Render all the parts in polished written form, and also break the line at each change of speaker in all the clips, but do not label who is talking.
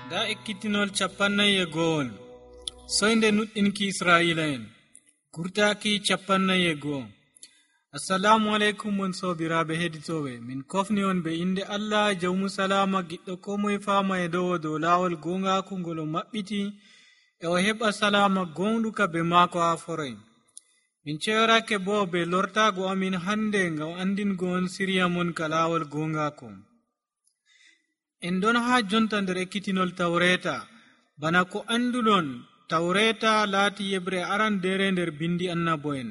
Da ekkitinol 51 soynde nuɗɗinki Israa'ila'en gurtaaki 51. Assalamu alaikum mon sobiraaɓe heɗitooɓe, min kofni on be inde Allah jawmu salama giɗɗo ko moye faama e dow laawol gongaaku ngol o maɓɓiti e o heɓa salama gonɗuka be maako haa foroy. Min ceyorake bo be lortaago amin hande ngam andingo on siriya mon ka laawol gongaaku. En ɗon haa jonta nder ekkitinol tawreta. Bana ko anduɗon, tawreta laati yebre arandere nder bindi annabo'en.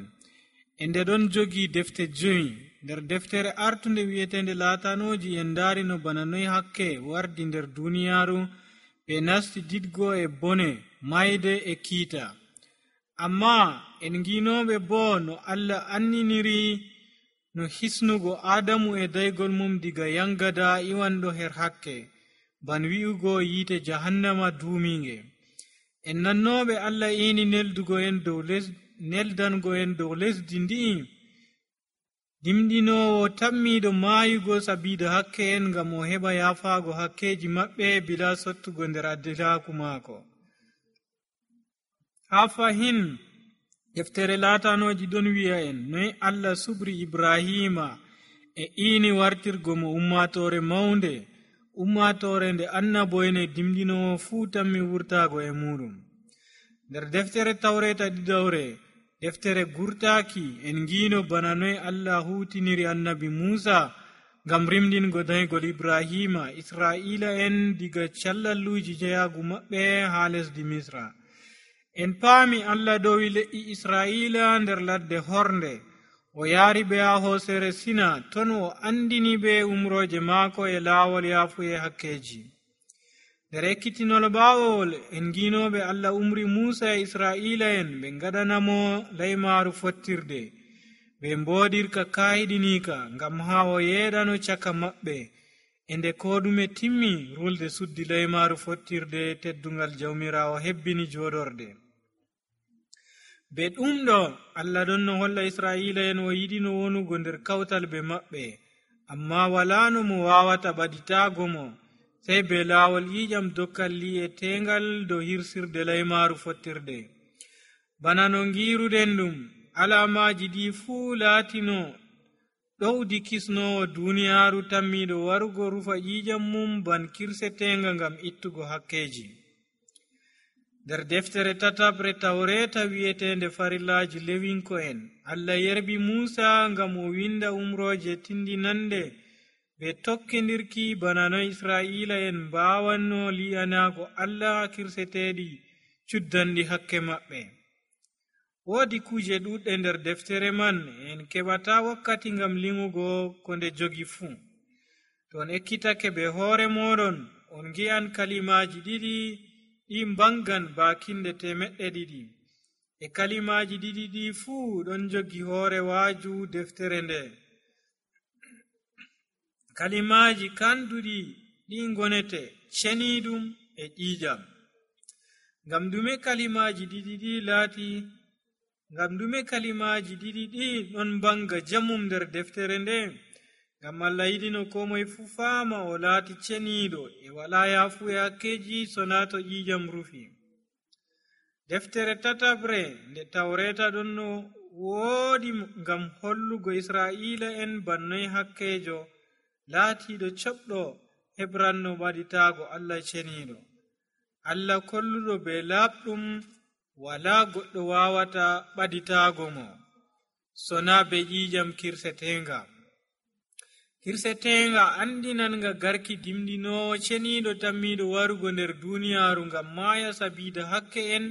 E nde ɗon jogi defte 5. Nder deftere artunde wi'etende laatanoji en ndaari no bana noy hakke wardi nder duniyaaru ɓe nasti didgo e bone mayde e kiita. Amma en nginoɓe bo no Allah anniniri no hisnugo Adamu e daygol mum diga yangada iwanɗo her hakke, ban wi'ugo yiite jahannama duuminge. En nannoɓe Allah ini neldango en dow lesdi ndi'i dimɗinowo tammiɗo maayugo sabida hakke en ngam o heɓa yafaago hakkeji maɓɓe bila sottugo nder addilaku maako. Haa fahin deftere laatanoji ɗon wi'a en noy Allah subri Ibrahima e ini wartirgo mo ummatore maunde, ummatore nde annabo'en e dimɗinowo fuu tammi wurtaago e muɗum. Nder deftere tawreta ɗiɗawre, deftere gurtaaki, en ngino bana noy Allah hutiniri annabi Musa ngam rimdingo daygol Ibrahima Israa'ila en diga callalluji jeyagu maɓɓe haa lesdi Misra. En paami Allah dowi le'i Israa'ila nder ladde hornde, o yaari ɓe haa hoosere Sina, ton o andini ɓe umroje maako e laawol yaafuye hakkeji. Nder ekkitinol ɓaawol en nginoɓe Allah umri Musa e Israa'ila en ɓe ngaɗanamo laymaaru fottirde, ɓe mboodirka kaayiɗinika ngam haa o yeeɗano caka maɓɓe. E nde koɗume timmi, rulde suddi laymaaru fottirde teddungal jawmirawo hebbini jooɗorde. Be ɗumɗo Allah ɗon no holla Israa'ila en o yiɗino wonugo nder kawtal be maɓɓe, amma walaa no mo waawata ɓaditaago mo sey be laawol ƴiƴam dokkal li'e tengal dow hirsirde laymaaru fottirde. Bana no ngiruɗen ɗum, alamaji ɗi fuu laatino ɗowdi kisnowo duniyaaru tammiɗo warugo rufa ƴiƴam mum ban kirsetenga ngam ittugo hakkeji. Nder deftere tatabre tawreta wi'etende farillaji lewinko en, Allah yerbi Musa ngam o winda umroje tindinande be tokkindirki bana no Israa'ila en mbawanno li'anago Allah kirseteɗi cuddanɗi hakke maɓɓe. Woodi kuje ɗuɗɗe nder deftere man, en keɓata wakkati ngam liŋugo ko nde jogi fuu. To on ekkitake be hoore moɗon, on gi'an kalimaji ɗiɗi ɗi mbangan bakinde 200. E kalimaji ɗiɗi ɗi fuu ɗon jogi hoore waaju deftere nde. Kalimaji kanduɗi ɗi ngonete ceniɗum e ƴiƴam. Ngam dume kalimaji ɗiɗi ɗi ɗon mbanga jamum nder deftere nde? Ngam Allah yiɗino ko moye fu faama o laati ceniiɗo e walaa yaafu e hakkeji sona to ƴiƴam rufi. Deftere tatabre nde tawreta ɗon no woodi ngam hollugo Israa'ila en bannoy hakkejo laatiiɗo coɓɗo hebranno ɓaditaago Allah ceniiɗo. Allah kolluɗo be laaɓɗum, walaa goɗɗo waawata ɓaditaago mo sona be ƴiƴam kirsetenga. Kirsetenga andinanga garki dimɗinowo ceniiɗo tammiɗo warugo nder duniyaaru ngam maaya sabida hakke en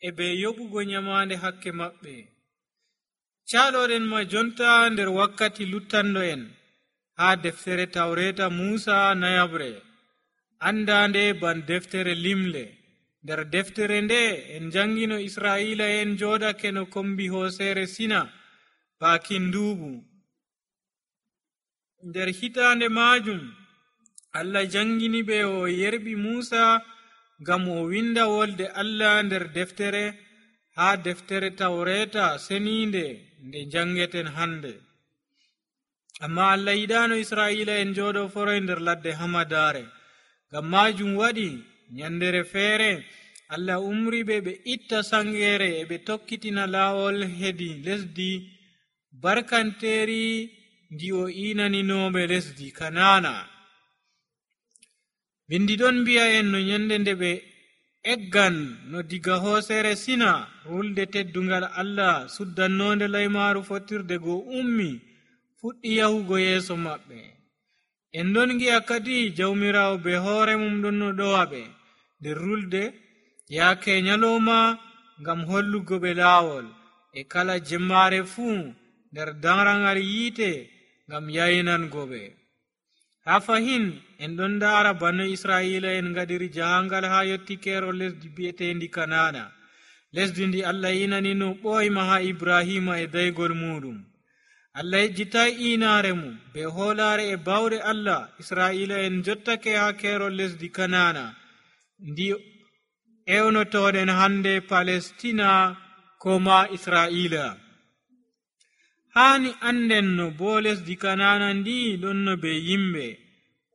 e be yoɓugo nyamande hakke maɓɓe. Caaloɗen ma jonta nder wakkati luttanɗo en haa deftere tawreta Musa nayabre, andande ban deftere limle. Nder deftere nde en jangino Israa'ila en joɗake no kombi hoosere Sina bakin nduuɓu. Nder hitande majum Allah jangini ɓe o yerbi Musa ngam o winda wolde Allah nder deftere, haa deftere tawreta seninde nde jangeten hande. Amma Allah yiɗano Israa'ila en joɗo foroy nder ladde hamadare, ngam majum waɗi nyandere feere Allah umri ɓe itta sangere e ɓe tokkitina laawol hedi lesdi barkanteeri ndi o inaninoɓe lesdi Kanana. Bindi ɗon mbi'a en no nyande nde ɓe eggan no diga hoosere Sina rulde teddungal Allah suddannonde laymaaru fottirde go ummi fuɗɗi yahugo yeeso maɓɓe. En ɗon gi'a kadi jawmirawo be hoore mum ɗon no ɗowa ɓe nder rulde yaake nyaloma ngam hollugo ɓe laawol e kala jemmare fuu nder darangal yiite ngam yaynango ɓe. Ha fahin en ɗon ndaara bano Israila en ngaɗiri jahangal ha yotti keerol lesdi bi'etendi Kanana, lesdi ndi Allah inanino ɓoyma ha Ibrahima e daygol muɗum. Allah yejjitai inaare mum be hoolare e bawɗe Allah. Israila en jottake ha keerol lesdi Kanana ndi ewnotoɗen hande Palestina ko ma Israila. Hani anden no bo lesdi Kanana ndi ɗon no be yimɓe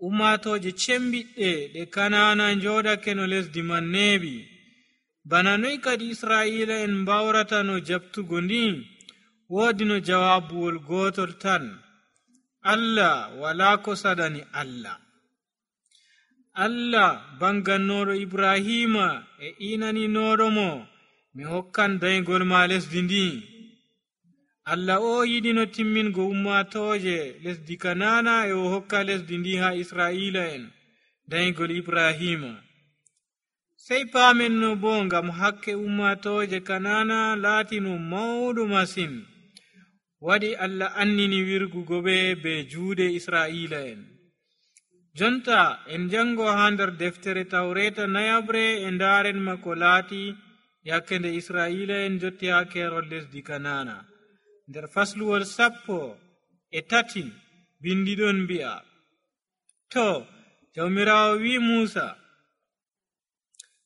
ummatoje cembiɗɗe ɗe Kanana jodake no lesdi man neeɓi. Bana noy kadi Israila en mbawrata no jabtugo ndi? Woodi no jawabuwol gotol tan: Allah wala ko sadani Allah. Allah bangannoɗo Ibrahima e inaninoɗo mo mi hokkan daygol ma lesdi ndi. Allah o yiɗi no timmingo ummatoje lesdi Kanana e o hokka lesdi ndi ha Israila en daygol Ibrahima. Sey paamen no bo ngam hakke ummatoje Kanana laatino mawɗo masin, waɗi Allah annini wirgugo ɓe be juuɗe Israila en. Jonta en jango ha nder deftere Tawreta nayabre e ndaren ma ko laati yakke nde Israila en jotti ha keerol lesdi Kanana. Nder fasluwol 13 bindi ɗon mbi'a: to jawmirawo wi Musa,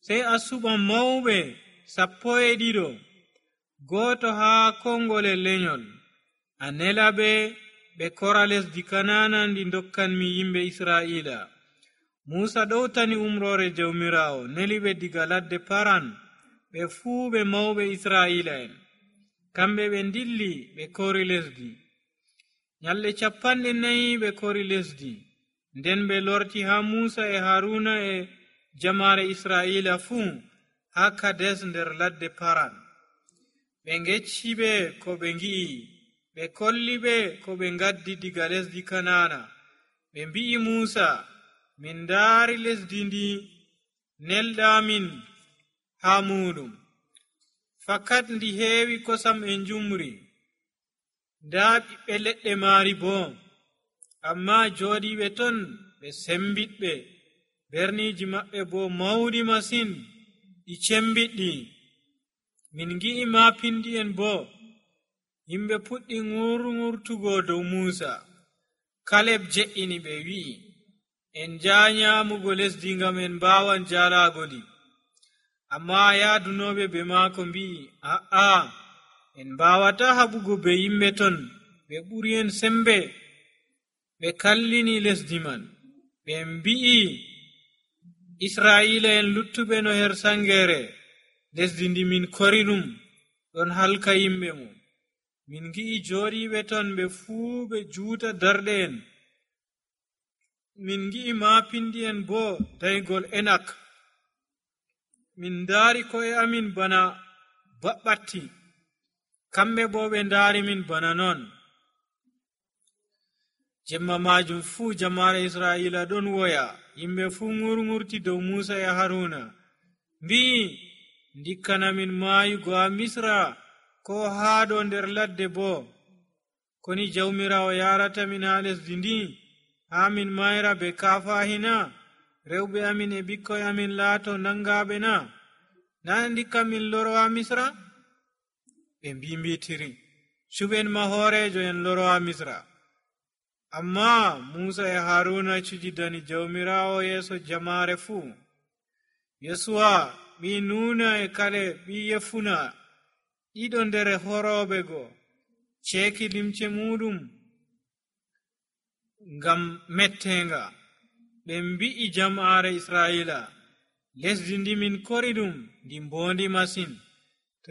sey a suɓa mawɓe 12 goto ha kongole lenyol, a nela ɓe kora lesdi Kanana ndi dokkanmi yimɓe Israila. Musa ɗowtani umrore jawmirawo, neli ɓe diga ladde Paran ɓe fuu ɓe mawɓe Israila en. Kamɓe ɓe dilli ɓe kori lesdi. Nyalɗe 40 ɓe kori lesdi. Nden ɓe lorti ha Musa e Haruna e jamare Israila fuu ha Kades nder ladde Paran. Ɓe ngecci ɓe ko ɓe ngi'i, ɓe kolli ɓe ko ɓe ngaddi diga lesdi Kanana. Ɓe mbi'i Musa, min ndaari lesdi ndi nelɗamin ha muɗum. Fakat ndi heewi kosam e njumri, nda ɓiɓɓe leɗɗe maari bo. Amma jooɗiɓe ton ɓe sembiɗɓe, berniji maɓɓe bo mawɗi masin, ɗi cembiɗɗi. Min ngi'i maapindi'en bo. Yimɓe puɗɗi ngurtugo dow Musa. Kaleb je'ini ɓe wi'i, en njaa nyaamugo lesdi ngam en mbaawan jaalaago ndi. Amma yaadunoɓe be maako mbi'i, a'a, en mbawata haɓugo be yimɓe ton, ɓe ɓuri en sembe. Ɓe kallini lesdi man. Ɓe mbi'i Israila en luttuɓe no her sangere, lesdi ndi min kori ɗum ɗon halka yimɓe mum. Min ngi'i jooɗiɓe ton ɓe fuu ɓe juuta darɗe en. Min ngi'i maapindi en bo daygol Enak. Min ndaari ko'e amin bana baɓɓatti, kamɓe bo ɓe ndaari min bana non. Jemma majum fuu jamare Israila ɗon woya. Yimɓe fuu ngurti dow Musa e Haruna, mbi'i, ndikkana min maayugo ha Misra ko haɗo nder ladde bo. Koni jawmirawo yarata min ha lesdi ndi, ha min mayra be kafahina, rewɓe amin e ɓikkoy amin laato nangaɓe na? Na ndikka min loro ha Misra? Ɓe mbimbitiri, cuɓen mahoorejo en loro ha Misra. Amma Musa e Haruna cujidani jawmirawo yeeso jamare fuu. Yesuwa ɓi Nuna e Kale ɓi Yefuna, ɗiɗo nder horoɓe go, ceeki limce muɗum ngam mettenga. Ɓe mbi'i jama'are Israila, lesdi ndi min kori ɗum ndi mbondi masin. To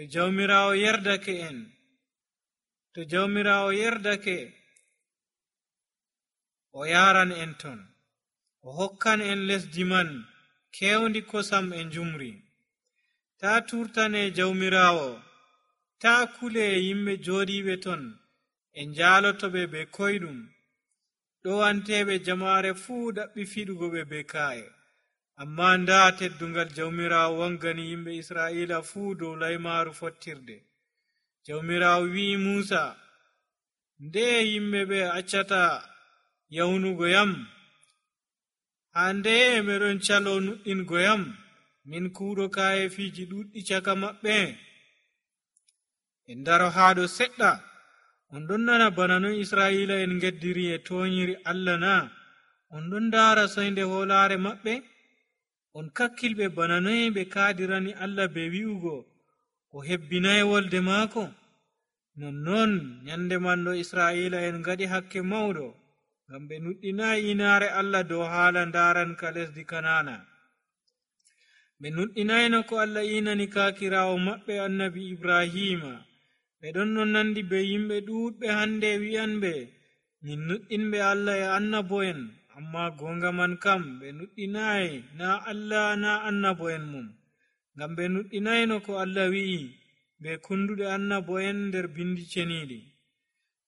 jawmirawo yerdake o yaran en ton, o hokkan en lesdi man kewndi kosam e njumri. Ta turtane jawmirawo, ta kule yimɓe joɗiɓe ton e njalotoɓe be koyɗum, ɗowanteɓe jama'are fuu ɗaɓɓi fiɗugo ɓe be ka'e. Amma nda teddungal jawmirawo wangani yimɓe Isra'ila fuu dow laymaru fottirde. Jawmirawo wi'i Musa, nde yimɓe ɓe accata yawnugo yam, haa nde meɗon calo nuɗɗingo yam, min kuuɗo ka'e fiji ɗuɗɗi caka maɓɓe. En daro haɗo seɗɗa, on ɗon nana bana non Isra'ila en geddiri e toñiri Allah na? On ɗon ndara soynde hoolare maɓɓe? On kakkilɓe bana noy ɓe kaadirani Allah be wi'ugo o hebbinay wolde maako? Nonnon nyande manɗo Isra'ila en ngaɗi hakke mawɗo, ngam ɓe nuɗɗinayi inaare Allah dow haala ndaranka lesdi Kanana. Ɓe nuɗɗinayno ko Allah inani kaakirawo maɓɓe annabi Ibrahima. ɓe ɗon no nandi be yimɓe ɗuuɗɓe hande wi'anɓe min nuɗɗinɓe Allah e annabo'en, amma gonga man kam ɓe nuɗɗinayi na Allah na annabo'en mum, ngam ɓe nuɗɗinayno ko Allah wi'i be kunduɗe annabo'en nder bindi ceniɗi.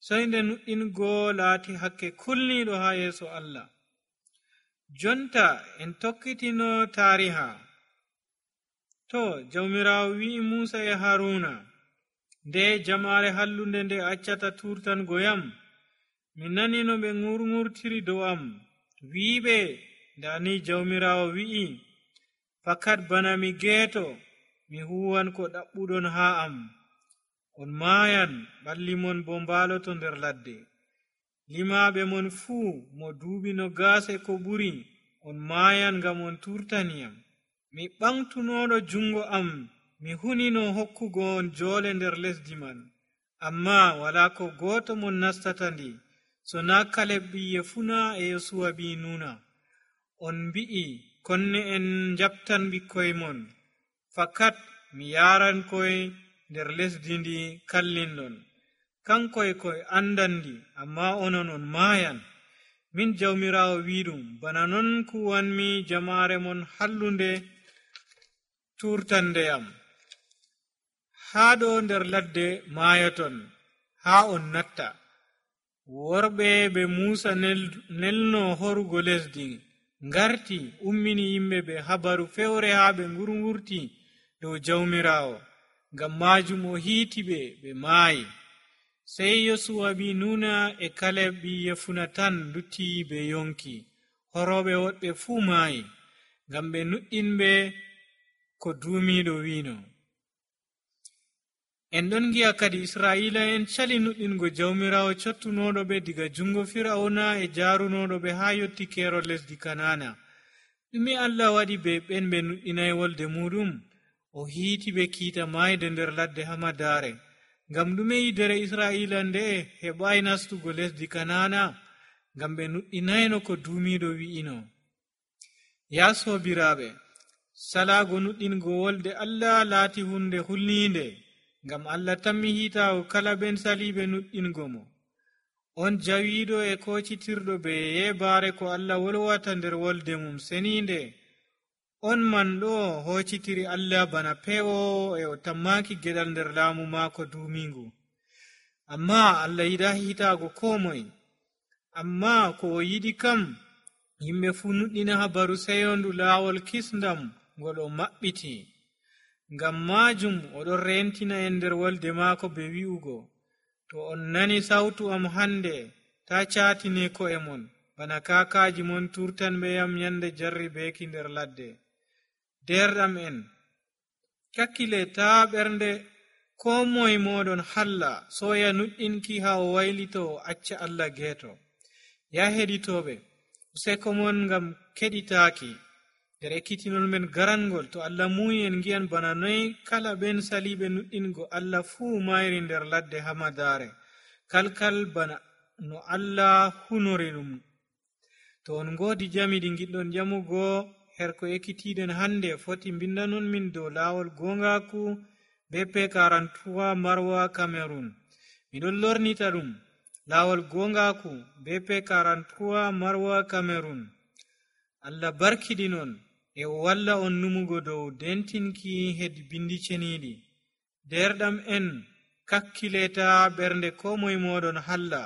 Soynde nuɗɗingo laati hakke kulniɗo ha yeeso Allah. Jonta en tokkitino tariha. To jawmirawo wi'i Musa e Haruna, nde jama'are hallunde nde accata turtango yam, mi nani no ɓe ngurngurtiri dow am, wi'iɓe, ndani jawmirawo wi'i, fakat bana mi geeto, mi huwan ko ɗaɓɓuɗon ha am. On maayan, ɓalli mon bo mbaaloto nder ladde. Limaɓe mon fuu mo duuɓi 20 ko ɓuri, on maayan ngam on turtaniyam. Mi ɓamtunoɗo jungo am, mi hunino hokkugo on joole nder lesdi man, amma wala ko gooto mon nastata ndi, so na Kaleb ɓi Yefuna e Yosuwa ɓi Nuna. On mbi'i konne en njabtan ɓikkoy mon, fakat mi yaran koy nder lesdi ndi kallinɗon. Kankoy koy andandi, amma onon on maayan. Min jawmirawo wiɗum, bana non kuwanmi jama'are mon hallunde turtandeyam. Haa ɗo nder ladde maayoton, haa on natta. Worɓe ɓe Musa nelno horugo lesdi ngarti ummini yimɓe ɓe habaru fewre haa ɓe ngurngurti dow jawmirawo, ngam majum o hiiti ɓe maayi. Sey Yosuwa ɓi Nuna e Kaleb ɓi Yefuna tan lutti ɓe yonki, horoɓe woɗɓe fuu maayi, ngam ɓe nuɗɗinɓe ko duumiɗo wino. En ɗon gi'a kadi Isra'ila en cali nuɗɗingo jawmirawo cottunoɗo ɓe diga jungo Fir'auna e jaarunoɗo ɓe haa yotti keerol lesdi Kanana. Ɗume Allah waɗi be ɓen ɓe nuɗɗinay wolde muɗum? O hiiti ɓe kiita maayde nder ladde hamadare. Ngam ɗume yidere Isra'ila nde heɓayi nastugo lesdi Kanana? Ngam ɓe nuɗɗinayno ko duumiɗo wi'ino. Ya sobiraɓe, salago nuɗɗingo wolde Allah laati hunde hulninde, ngam Allah tammi hiitago kala ben saliɓe nuɗɗingo mo. On jawiɗo e kocitirɗo be yebare ko Allah wolwata nder wolde mum seninde. On man ɗo hocitiri Allah bana pewowo e o tammaki geɗal nder laamu maako duumingu. Amma Allah yiɗa hiitago ko moye. Amma ko o yiɗi kam, yimɓe fu nuɗɗina habaru seyondu laawol kisndam ngol o maɓɓiti. Ngam majum oɗon rentina en nder wolde maako be wi'ugo, to on nani sautu am hande, ta caatine ko'e mon, bana kaakaji mon turtanɓe yam nyande jarribeeki nder ladde. Derɗam en, kakkile ta ɓernde ko moye moɗon halla soya nuɗɗinki ha o waylito o acca Allah geeto. Ya heɗitoɓe, useko mon ngam keɗitaaki nder ekkitinol men garangol, to Allah muyi en gi'an bana noy kala ɓen saliɓe nuɗɗingo Allah fuu mayri nder ladde hamadare, kalkal bana no Allah hunori ɗum. To on ngoodi jami ɗi giɗɗon jamugo, her ko ekkitiɗen hande foti bindanon min dow laawol gongaku be P43 Marwa Cameroon. Miɗon lornita ɗum laawol gongaku be P43 Marwa Cameroon. Allah barkidinon e o walla on numugo dow dentinki hedi bindi ceniɗi. Derɗam en kakkileta ɓernde ko moye moɗon halla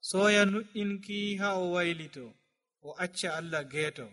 soya nuɗɗinki ha o waylito o acca Allah geeto.